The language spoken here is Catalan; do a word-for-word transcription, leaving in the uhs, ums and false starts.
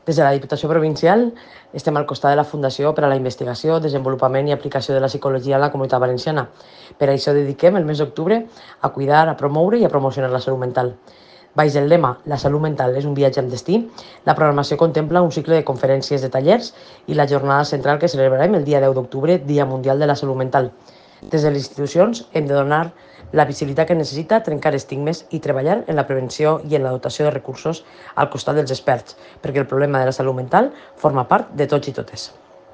Des de la Diputació Provincial estem al costat de la Fundació per a la Investigació, Desenvolupament i Aplicació de la Psicologia en la Comunitat Valenciana. Per això dediquem el mes d'octubre a cuidar, a promoure i a promocionar la salut mental. Baix el lema La salut mental és un viatge amb destí, la programació contempla un cicle de conferències, de tallers i la jornada central que celebrarem el dia deu d'octubre, Dia Mundial de la Salut Mental. Des de les institucions hem de donar la visibilitat que necessita, trencar estigmes i treballar en la prevenció i en la dotació de recursos al costat dels experts, perquè el problema de la salut mental forma part de tots i totes.